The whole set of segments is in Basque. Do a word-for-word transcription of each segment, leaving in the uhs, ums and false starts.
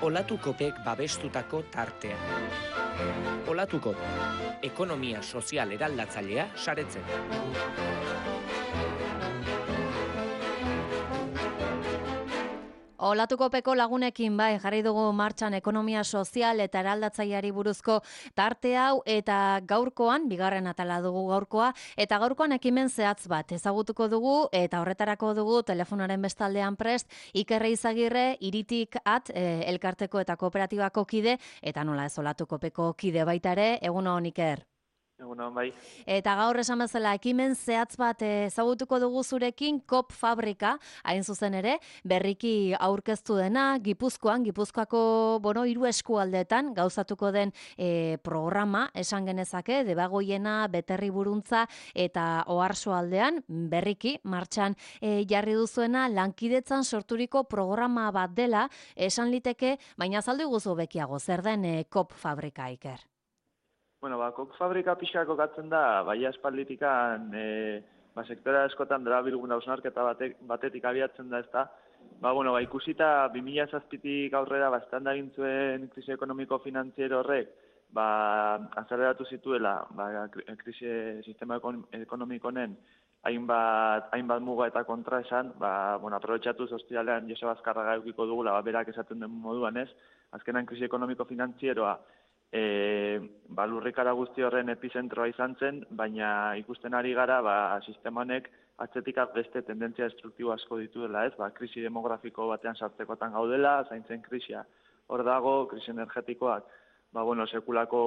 Olatukopek babestutako tartea. Olatukop, ekonomia sozial eraldatzailea saretzen. Olatukopeko lagunekin bai jarri dugu martxan ekonomia sozial eta eraldatzaileari buruzko tarte hau eta gaurkoan, bigarren atala dugu gaurkoa, eta gaurkoan ekimen zehatz bat ezagutuko dugu eta horretarako dugu telefonaren bestaldean prest Iker Izagirre, Iritik at e, elkarteko eta kooperatibako kide, eta nola ez Olatukopeko kide baita ere, egun on Iker. Egunon, bai. Eta gaur esan bezala ekimen zehatz bat ezagutuko dugu zurekin Kop Fabrika, hain zuzen ere, berriki aurkeztu dena, Gipuzkoan, Gipuzkoako, bueno, hiru eskualdeetan gauzatuko den e, programa, esan genezake, Debagoiena, Beterri Buruntza eta Oarsoaldean, berriki, martxan e, jarri duzuena, lankidetzan sorturiko programa bat dela, esan liteke, baina azaldu guzu bekiago, zer den e, Kop Fabrika, Iker? Bueno, ba, Kop Fabrika pixka kokatzen da, bai aspalditikan, e, ba, sektora askotan dara bilgun hausnarketa batek, batetik abiatzen da, ezta. Ba, bueno, ba, ikusita bi mila zazpitik aurrera, ba, estanda gintzuen krisi ekonomiko-finantziero horrek, ba, azaleratu zituela, ba, krisi sistema ekonomikonen hainbat, hainbat muga eta kontra esan, ba, bueno, aprobetxatu zoztialean Joseba Azkarraga eukiko dugula, ba, berak esaten den moduan ez, azkenan krisi ekonomiko-finantzieroa, E, ba, lurrikara guzti horren epizentroa izan zen, baina ikusten ari gara ba, sistema honek atzetik beste tendentzia destruktibo asko ditu dela, ez? Ba, krisi demografiko batean sartzekotan gaudela, zaintzen krisia hor dago, krisi energetikoak, ba, bueno, sekulako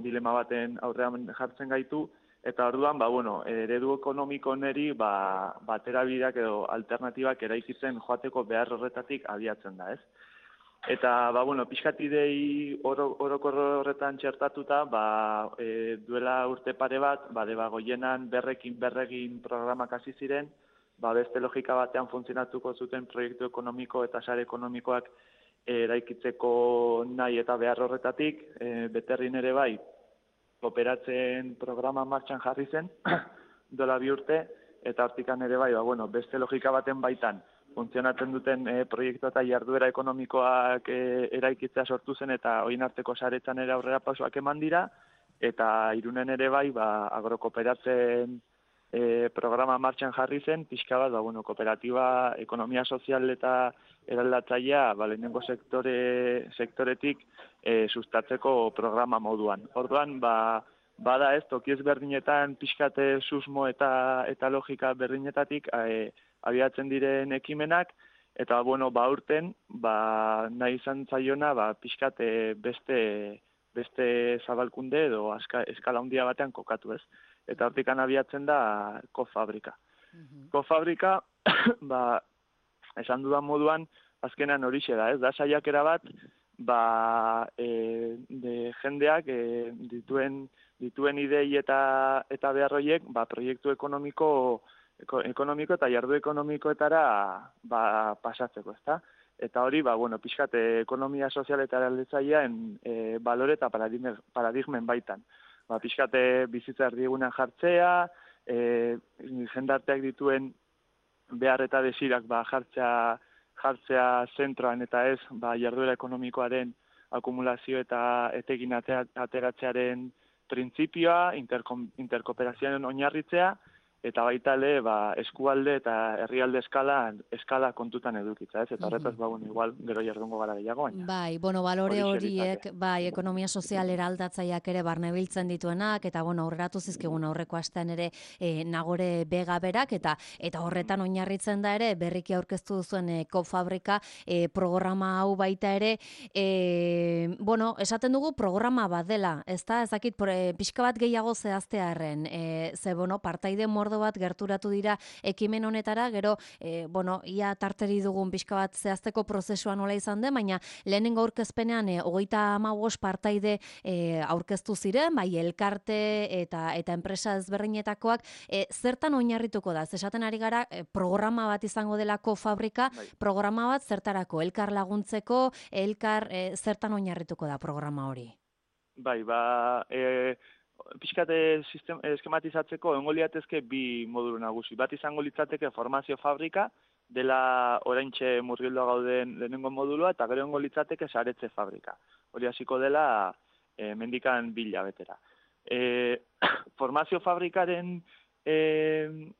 dilema baten aurrean jartzen gaitu, eta orduan, ba, bueno, eredu ekonomiko neri, ba, baterabideak edo alternatibak eraikitzen joateko behar horretatik abiatzen da, ez? Eta, ba, bueno, pixkatidei orokor horretan txertatuta, ba, e, duela urte pare bat, ba, Debagoienan berrekin berregin programak hasi ziren, ba, beste logika batean funtzionatuko zuten proiektu ekonomiko eta sare ekonomikoak eraikitzeko nahi eta behar horretatik, e, Beterrin ere bai, operatzen programa martxan jarri zen, dola bi urte, eta hortikan ere bai, ba, bueno, beste logika baten baitan, funtzionatzen duten e, proiektu eta jarduera ekonomikoak e, eraikitzea sortu zen eta oin arteko saretzan ere aurrera pausoak eman dira, eta Irunen ere bai, ba, agrokoperatzen e, programa martxan jarri zen, pixka bat, ba, bueno, kooperatiba, ekonomia sozial eta eraldatzailea, ba, lehenengo sektore, sektoretik e, sustatzeko programa moduan. Orduan, ba, bada ez, toki ezberdinetan pixkate susmo eta, eta logika berdinetatik, e, abiatzen diren ekimenak, eta, bueno, ba, urten, ba, nahi izan zaiona, ba, pixkate beste, beste zabalkunde edo aska, eskala handia batean kokatu ez. Eta hortikan abiatzen da Kop Fabrika. Mm-hmm. Kop Fabrika, ba, esan dudan moduan, azkenan horixe da, ez? Da saiakera bat, ba, e, de jendeak e, dituen, dituen idei eta, eta beharroiek, ba, proiektu ekonomiko ekonomiko eta jardu ekonomikoetara ba, pasatzeko, ezta? Eta hori, ba, bueno, pixkat ekonomia sozial eta eraldatzailean e, balore eta paradigmen, paradigmen baitan. Ba, pixkat bizitza erdigunean jartzea, e, jendarteak dituen behar eta desirak ba, jartzea, jartzea zentroan eta ez ba, jarduera ekonomikoaren akumulazio eta etekin ateratzearen printzipioa, interkooperazioaren oinarritzea, eta baita ere, ba, eskualde eta herrialde eskala, eskala kontutan edukitza, ez? Eta horretaz, ba, bueno, igual, gero jardungo gara gehiago, baina. Bai, bueno, balore horiek, bai, ekonomia sozial eraldatzaileak ere barnebiltzen dituenak, eta, bueno, aurreratu zizkigun aurreko astean ere e, Nagore Bega berak, eta eta horretan oinarritzen da ere, berriki aurkeztu duzuen e, Kop Fabrika e, programa hau baita ere, e, bueno, esaten dugu programa bat dela, ez da, ezakit, e, pixka bat gehiago zehaztearen, e, ze, bueno, partaide mordo bat gerturatu dira ekimen honetara, gero, e, bueno, ia tarteri dugun pixka bat zehazteko prozesua nola izan den, baina lehenengo aurkezpenean e, hogeita hamabost partaide e, aurkeztu ziren, bai elkarte eta eta enpresa ezberdinetakoak, e, zertan oinarrituko da? Esaten ari gara, e, programa bat izango delako Fabrika, bai. Programa bat zertarako, elkar laguntzeko, elkar e, zertan oinarrituko da programa hori? Bai, ba, e, pixkate sistem, eskematizatzeko egongo liatezke bi modulu nagusi. Bat izango litzateke formazio fabrika, dela oraintxe murgildoa gauden lehenengo modulua, eta gero ongo litzateke saretze fabrika. Hori hasiko dela e, mendikan bila betera. E, formazio fabrikaren e,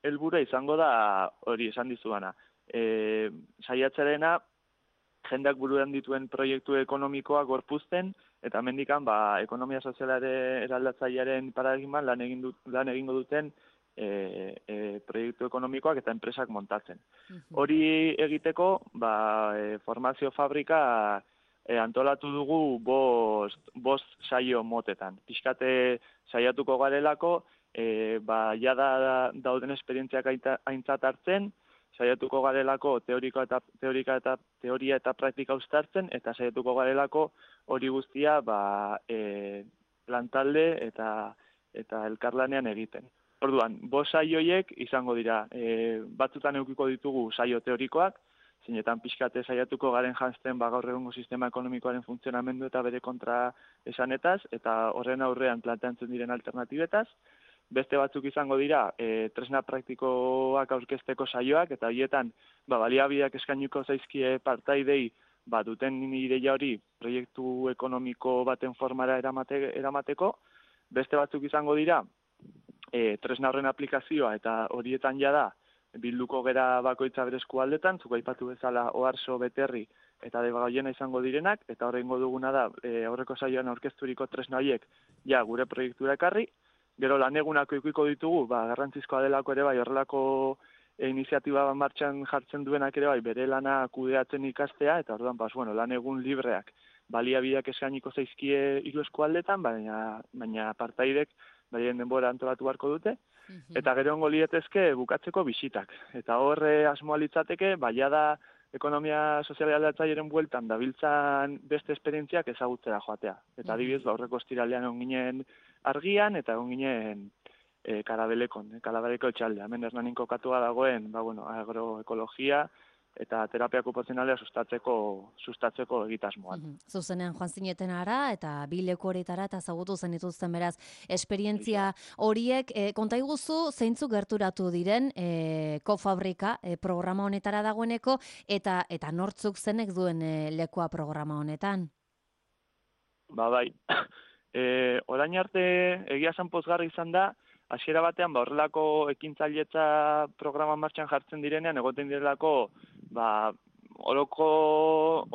helburua izango da hori esan dizuana. E, saiatzarena jendeak buruan dituen proiektu ekonomikoa gorpuzten, eta mendikan ba, ekonomia sozialare eraldatzailearen paradigman lan, egin dut, lan egingo duten e, e, proiektu ekonomikoak eta enpresak montatzen. Hori egiteko ba, e, formazio fabrika e, antolatu dugu bost, bost saio motetan. Pixkate saiatuko garelako, e, ba, jada dauden esperientziak aintzat hartzen, saiatuko garelako teoriko eta, teorika eta, teoria eta praktika uztartzen, eta saiatuko garelako hori guztia ba, e, lantalde eta, eta elkarlanean egiten. Orduan, bost saioiek izango dira, e, batzutan eukiko ditugu saio teorikoak, zeinetan pixkate saiatuko garen janzten ba, gaur egungo sistema ekonomikoaren funtzionamendu eta bere kontra esanetaz, eta horren aurrean planteatzen diren alternatibetaz. Beste batzuk izango dira, e, tresna praktikoak aurkezteko saioak, eta horietan ba, baliabideak eskainiko zaizkie partaidei ba, duten ideia hori proiektu ekonomiko baten formara eramate, eramateko. Beste batzuk izango dira, e, tresna horren aplikazioa, eta horietan jada bilduko gera bakoitza bere eskualdetan, zuk aipatu bezala Oarso, Beterri eta Debagoiena izango direnak, eta horrengo duguna da, e, aurreko saioan aurkezturiko tresna horiek ja gure proiektura ekarri. Gero lan egunako ikuiko ditugu, ba, garrantzizkoa delako ere bai, horrelako e, iniziatiba martxan jartzen duenak ere bai, bere lana kudeatzen ikastea, eta orduan, bas, bueno, lan egun libreak baliabideak eskainiko zaizkie hiru eskualdetan, baina, baina partaidek baien denbora antolatu beharko dute, eta gero ongo lietezke bukatzeko bisitak. Eta horre asmoa litzateke, baia da ekonomia sozial aldatzaileren bueltan dabiltzan beste esperientziak ezagutzera joatea. Eta adibidez, ba, aurreko ostiralean egon ginen Argian, eta egon ginen e, Karabelekon, e, Karabaleko etxaldea. Hemen Hernanin kokatua dagoen, ba, bueno, agroekologia eta terapia okupazionalea sustatzeko, sustatzeko egitasmoan. Mm-hmm. Zuzenean joan zineten ara, eta bi leku horietara, eta zagutu zen dituzten beraz, esperientzia horiek, e, konta iguzu, zeintzuk gerturatu diren, e, kofabrika e, programa honetara dagoeneko, eta eta nortzuk zenek duen e, lekua programa honetan? Ba, bai. E, orain arte egia esan pozgarri izan da, hasiera batean ba, horrelako ekintzailetza programa martxan jartzen direnean, egoten direlako ba, oroko,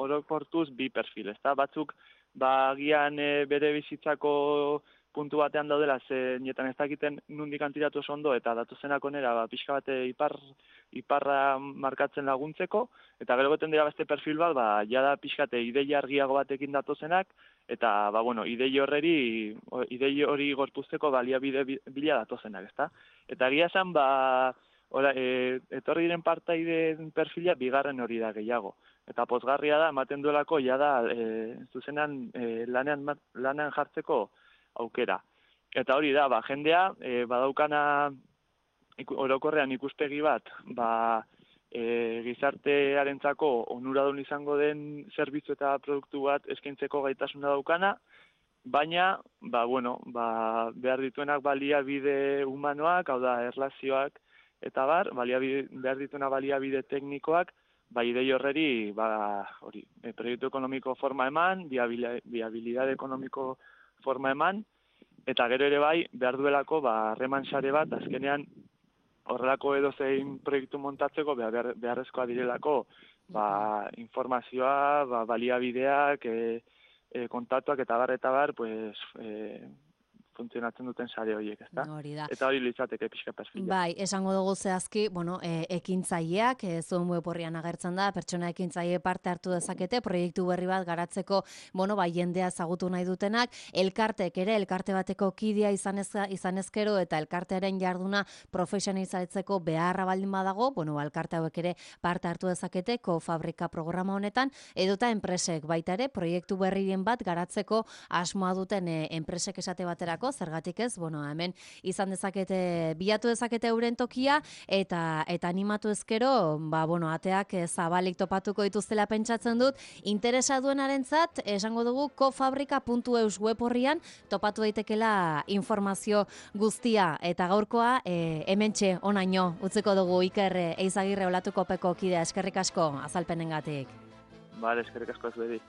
orokortuz bi perfil, ezta? Batzuk ba, agian e, bere bizitzako puntu batean daudela, ze nietan ez dakiten nundik antiratu oso ondo, eta datuzenak onera ba, pixka bate ipar, iparra markatzen laguntzeko, eta gero goten dira beste perfil bat, ba, jada pixkate ideia argiago batekin datozenak, eta, ba, bueno, idei horreri, idei hori gorpuzteko baliabide bila datozenak, ezta? Eta egia esan, ba, ora, e, etorri diren partaideen perfila bigarren hori da gehiago. Eta pozgarria da, ematen duelako, ja da, e, zuzenan e, lanean, lanean jartzeko aukera. Eta hori da, ba, jendea, e, badaukana iku, orokorrean ikuspegi bat, ba, E, gizartearentzako onuradun izango den zerbitzu eta produktu bat eskaintzeko gaitasuna daukana, baina, ba, bueno, ba, behar dituenak baliabide humanoak, hau da, erlazioak, eta bar, baliabide, behar dituena baliabide teknikoak, ba, idei horreri, ba, hori, e, proiektu ekonomiko forma eman, viabilidade ekonomiko forma eman, eta gero ere bai, behar duelako, ba, harreman sare bat, azkenean, horrelako edozein proiektu montatzeko behar, beharrezkoa direlako ba, informazioa, ba, baliabideak, e, e, kontaktuak eta bar, eta bar, pues, e, funtzionatzen duten sare horiek, ezta? Hori da. Eta hori litzateke pixka perfila. Bai, esango dugu zehazki, bueno, e, ekintzaileak, e, zuen web horrian agertzen da, pertsona ekintzaile parte hartu dezakete, proiektu berri bat garatzeko, bueno, bai, jendea ezagutu nahi dutenak, elkartek ere, elkarte bateko kidea izanez, izanezkero, eta elkartearen jarduna profesionalizatzeko beharra baldin badago, bueno, elkarte hauek ere parte hartu dezakete, kofabrika programa honetan, edota enpresek baita ere, proiektu berrien bat garatzeko asmoa duten e, enpresek esate baterako dutelako, zergatik ez, bueno, hemen izan dezakete, bilatu dezakete euren tokia, eta eta animatu ezkero, ba, bueno, ateak zabalik topatuko dituztela pentsatzen dut, interesa duenarentzat, esango dugu, kofabrika puntu eus web horrian, topatu daitekela informazio guztia, eta gaurkoa, e, hementxe, onaino, utziko dugu Iker Eizagirre olatuko peko kidea, eskerrik asko azalpenengatik. Bale, eskerrik asko ez bedi.